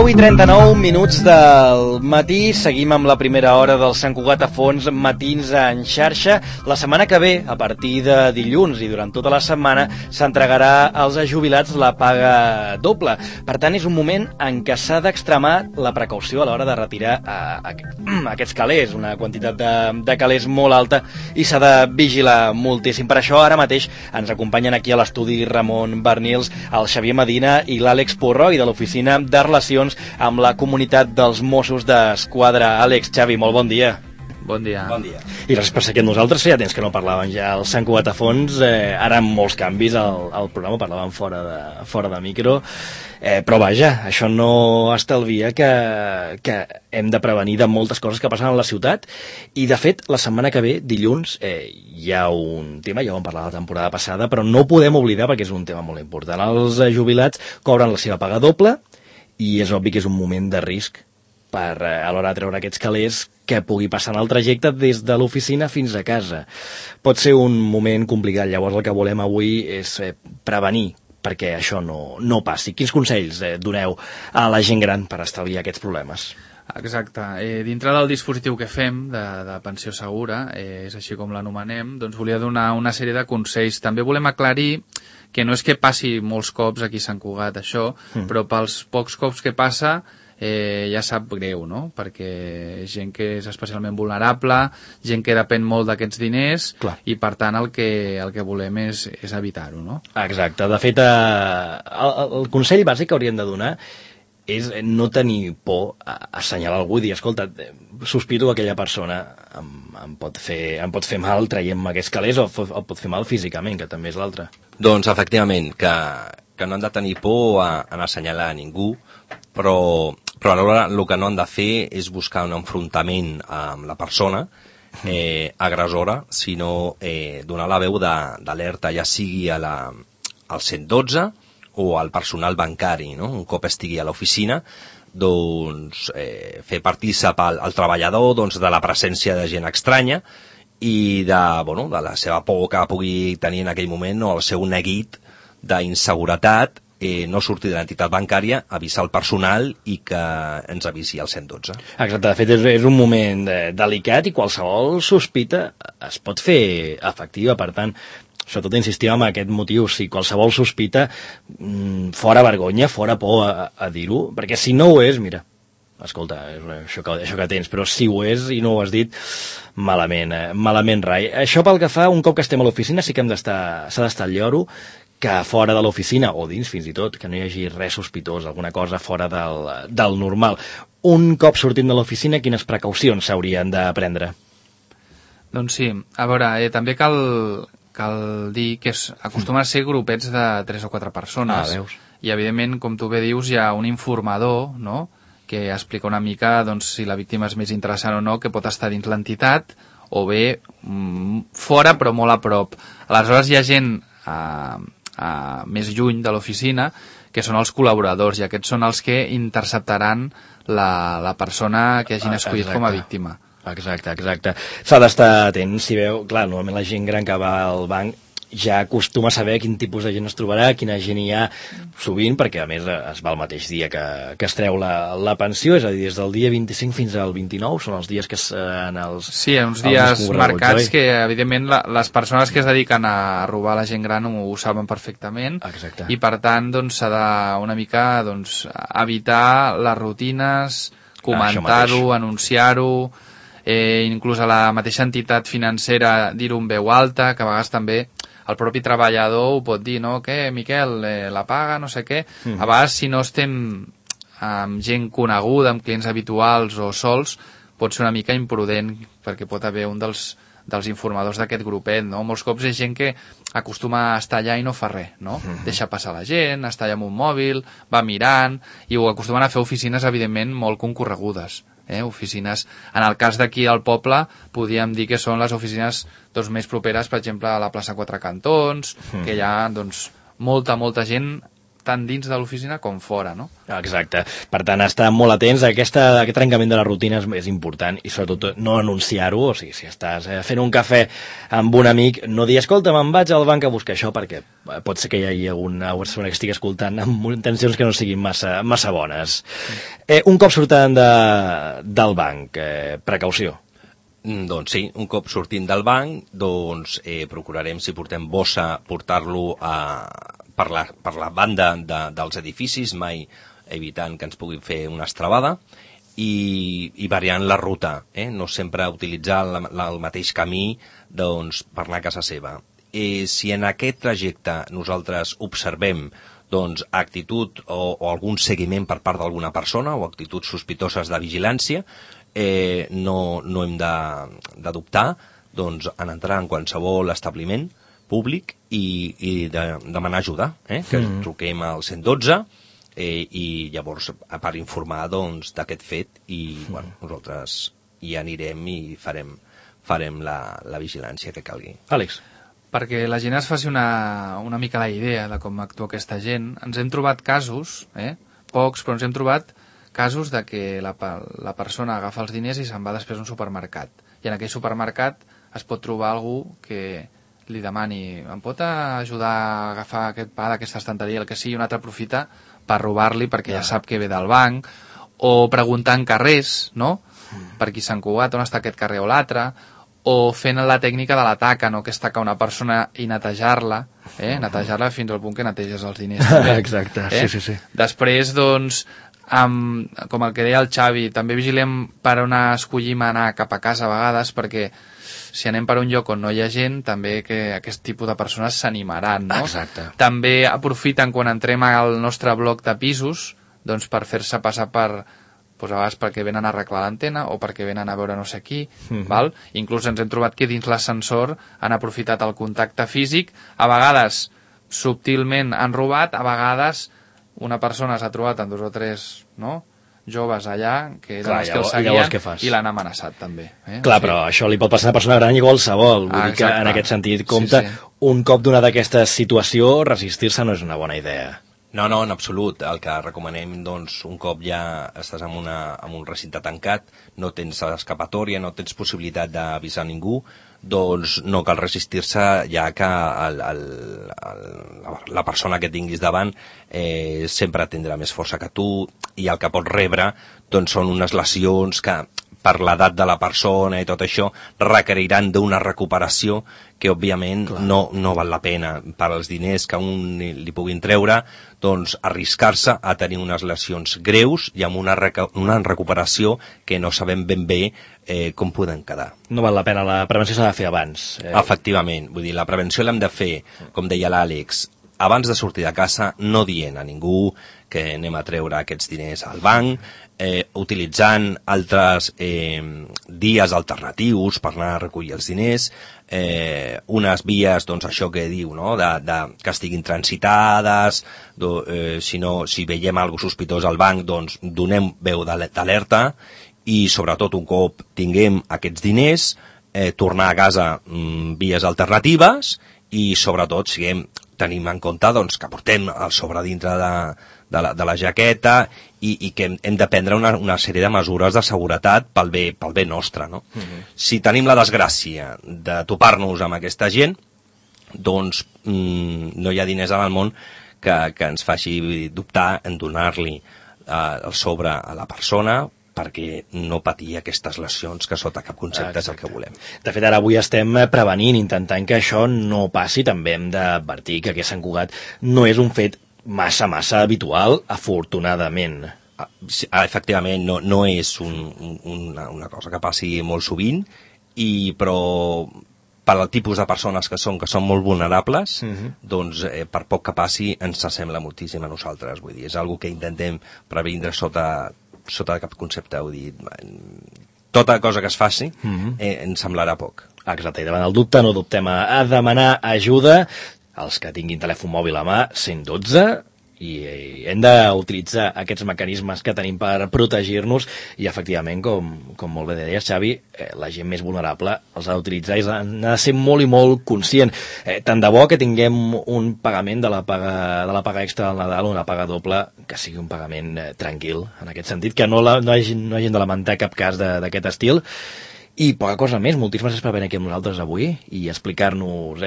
I 39 minuts del matí, seguim amb la primera hora del Sant Cugat a Fons Matins en xarxa. La setmana que ve, a partir de dilluns i durant tota la setmana, s'entregarà als jubilats la paga doble. Per tant, és un moment en què s'ha d'extremar la precaució a l'hora de retirar aquests calés, una quantitat de calés molt alta, i s'ha de vigilar moltíssim. Per això, ara mateix, ens acompanyen aquí a l'estudi Ramon Bernils, el Xavier Medina i l'Àlex Porroi de l'Oficina de Relacions amb la comunitat dels Mossos d'Esquadra. Àlex, Xavi, molt bon dia. Bon dia. Bon dia. I res per ser amb nosaltres, ja temps que no parlàvem ja al Sant Cugat a Fons, ara amb molts canvis al programa, parlàvem fora de micro, però vaja, això no estalvia que hem de prevenir de moltes coses que passen a la ciutat, i de fet la setmana que ve, dilluns, hi ha un tema, ja ho vam parlar la temporada passada, però no ho podem oblidar perquè és un tema molt important. Els jubilats cobren la seva paga doble, i és obvi que és un moment de risc per a l'hora de treure aquests calés que pugui passar en el trajecte des de l'oficina fins a casa. Pot ser un moment complicat, llavors el que volem avui és prevenir perquè això no passi. Quins consells doneu a la gent gran per estalviar aquests problemes? Exacte. Dintre del dispositiu que fem de pensió segura, és així com l'anomenem, doncs volia donar una sèrie de consells. També volem aclarir que no és que passi molts cops aquí a Sant Cugat això, però pels pocs cops que passa ja sap greu, no? Perquè és gent que és especialment vulnerable, gent que depèn molt d'aquests diners. Clar. I per tant el que volem és evitar-ho, no? Exacte. De fet, el consell bàsic que hauríem de donar és no tenir por a assenyalar algú i dir, escolta, sospito que aquella persona em pot fer mal traient-me aquests calés, o pot fer mal físicament, que també és l'altre. Doncs efectivament, que no han de tenir por a assenyalar a ningú, però alhora el que no han de fer és buscar un enfrontament amb la persona agressora, sinó donar la veu d'alerta, ja sigui al 112 o al personal bancari, no? Un cop estigui a l'oficina, doncs fer partícip al treballador de la presència de gent estranya i de la seva por que pugui tenir en aquell moment, o el seu neguit d'inseguretat, no sortir de l'entitat bancària, avisar el personal i que ens avisi al 112. Exacte, de fet és un moment delicat i qualsevol sospita es pot fer efectiva, per tant, sobretot insistim en aquest motiu, si qualsevol sospita, fora vergonya, fora por a dir-ho, perquè si no ho és, mira, escolta, això que tens, però si ho és i no ho has dit, malament rai. Això pel que fa, un cop que estem a l'oficina, sí que s'ha d'estar al lloro, que fora de l'oficina, o dins fins i tot, que no hi hagi res sospitós, alguna cosa fora del normal. Un cop sortim de l'oficina, quines precaucions s'haurien de prendre? Doncs sí, a veure, també cal dir que acostumen a ser grupets de 3 o 4 persones. Veus. I evidentment, com tu bé dius, hi ha un informador, no?, que explica una mica si la víctima és més interessant o no, que pot estar dins l'entitat o bé fora però molt a prop. Aleshores hi ha gent més lluny de l'oficina que són els col·laboradors, i aquests són els que interceptaran la persona que hagin escollit com a víctima. Exacte. S'ha d'estar atent, si veu, clar, normalment la gent gran que va al banc ja acostuma a saber quin tipus de gent es trobarà, quina gent hi ha sovint, perquè a més es va el mateix dia que es treu la pensió, és a dir, des del dia 25 fins al 29, són els dies que en els... Sí, uns dies marcats que, evidentment, les persones que es dediquen a robar la gent gran ho saben perfectament. Exacte. I per tant, doncs, s'ha de una mica evitar les rutines, comentar-ho, anunciar-ho, inclús a la mateixa entitat financera dir-ho en veu alta, que a vegades també el propi treballador ho pot dir, no? Què, Miquel, la paga, no sé què. A vegades, si no estem amb gent coneguda, amb clients habituals o sols, pot ser una mica imprudent, perquè pot haver un dels informadors d'aquest grupet, no? Molts cops és gent que acostuma a estar allà i no fa res, no? Deixa passar la gent, està allà amb un mòbil, va mirant, i ho acostumen a fer oficines, evidentment, molt concorregudes. Oficines, en el cas d'aquí al poble podríem dir que són les oficines més properes, per exemple a la plaça Quatre Cantons, que hi ha molta gent tant dins de l'oficina com fora, no? Exacte. Per tant, estar molt atents a aquest trencament de la rutina és important i sobretot no anunciar-ho, o sigui, si estàs fent un cafè amb un amic, no dir, escolta, me'n vaig al banc a buscar això, perquè pot ser que hi hagi alguna persona que estigui escoltant amb intencions que no siguin massa bones. Un cop surten del banc, precaució. Doncs sí, un cop sortim del banc, doncs procurarem, si portem bossa, portar-lo per la banda dels edificis, mai evitant que ens puguin fer una estrabada, i variant la ruta, no sempre utilitzar el mateix camí doncs, per anar a casa seva. Si en aquest trajecte nosaltres observem doncs, actitud o algun seguiment per part d'alguna persona o actituds sospitoses de vigilància, no hem de dubtar doncs, en entrar en qualsevol establiment públic i demanar ajuda, que truquem al 112 i llavors per informar doncs, d'aquest fet i bueno, nosaltres hi anirem i farem la vigilància que calgui. Àlex. Perquè la gent es faci una mica la idea de com actua aquesta gent, ens hem trobat casos, pocs, però ens hem trobat casos de que la persona agafa els diners i se'n va després a un supermercat. I en aquell supermercat es pot trobar algú que li demani, em pot ajudar a agafar aquest pa d'aquesta estanteria, el que sigui, un altre aprofita per robar-li perquè ja sap que ve del banc, o preguntar en carrers, no? Per qui s'han cugat, on està aquest carrer o l'altre, o fent la tècnica de la taca, no? Que és tacar una persona i netejar-la, netejar-la fins al punt que neteges els diners. També, exacte, sí. Després, doncs, com el que deia el Xavi, també vigilem per on escollim anar cap a casa a vegades, perquè si anem per un lloc on no hi ha gent, també que aquest tipus de persones s'animaran, no? Exacte. També aprofiten quan entrem al nostre bloc de pisos, doncs per fer-se passar per, doncs a vegades perquè venen a arreglar l'antena o perquè venen a veure no sé qui, val? Inclús ens hem trobat que dins l'ascensor han aprofitat el contacte físic, a vegades subtilment han robat, a vegades una persona s'ha trobat amb 2 o 3, no?, joves allà, que eren els que el seguien, i l'han amenaçat també. Clar, però això li pot passar a una persona gran i qualsevol. Vull dir que en aquest sentit, compte, un cop donada aquesta situació, resistir-se no és una bona idea. No, en absolut. El que recomanem, doncs, un cop ja estàs en un recinte tancat, no tens escapatòria, no tens possibilitat d'avisar ningú, doncs no cal resistir-se, ja que la persona que tinguis davant sempre tindrà més força que tu, i el que pots rebre doncs, són unes lesions que per l'edat de la persona i tot això requeriran d'una recuperació que òbviament no val la pena per als diners que un li puguin treure, doncs arriscar-se a tenir unes lesions greus i amb una recuperació que no sabem ben bé com poden quedar. No val la pena, la prevenció s'ha de fer abans. Efectivament, vull dir, la prevenció l'hem de fer, com deia l'Àlex, abans de sortir de casa, no dient a ningú que anem a treure aquests diners al banc, utilitzant altres dies alternatius per anar a recollir els diners, unes vies, doncs això que diu, no?, que estiguin transitades, si veiem alguna sospitós al banc, doncs donem veu d'alerta, i sobretot un cop tinguem aquests diners, tornar a casa vies alternatives, i sobretot tenim en compte doncs, que portem el sobre dintre de la jaqueta i que hem de prendre una sèrie de mesures de seguretat pel bé nostre, no? Si tenim la desgràcia de topar-nos amb aquesta gent, doncs no hi ha diners en el món que ens faci dubtar en donar-li el sobre a la persona perquè no patir aquestes lesions que sota cap concepte és el que volem. De fet, ara avui estem prevenint, intentant que això no passi. També hem d'advertir que aquest Sant Cugat no és un fet massa habitual, afortunadament. Efectivament, no és una cosa que passi molt sovint, però per al tipus de persones que són molt vulnerables, doncs per poc que passi ens sembla moltíssim a nosaltres. Vull dir, és una que intentem previndre sota cap concepte, vull dir, tota cosa que es faci ens semblarà poc. Exacte, i davant el dubte no dubtem a demanar ajuda. Els que tinguin telèfon mòbil a mà, 112, i hem d'utilitzar aquests mecanismes que tenim per protegir-nos i efectivament, com molt bé deies, Xavi, la gent més vulnerable els ha d'utilitzar i n'ha de ser molt i molt conscient. Tant de bo que tinguem un pagament de la paga extra del Nadal, una paga doble, que sigui un pagament tranquil, en aquest sentit, que no hagin de lamentar cap cas d'aquest estil. I poca cosa més, moltíssimes gràcies per venir aquí amb nosaltres avui i explicar-nos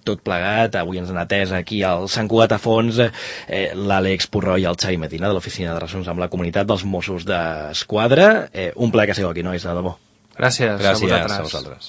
tot plegat. Avui ens han atès aquí al Sant Cugat a Fons l'Àlex Purró i el Xavi Medina de l'Oficina de Relacions amb la Comunitat dels Mossos d'Esquadra. Un plaer que sigueu aquí, nois, de debò. Gràcies a vosaltres.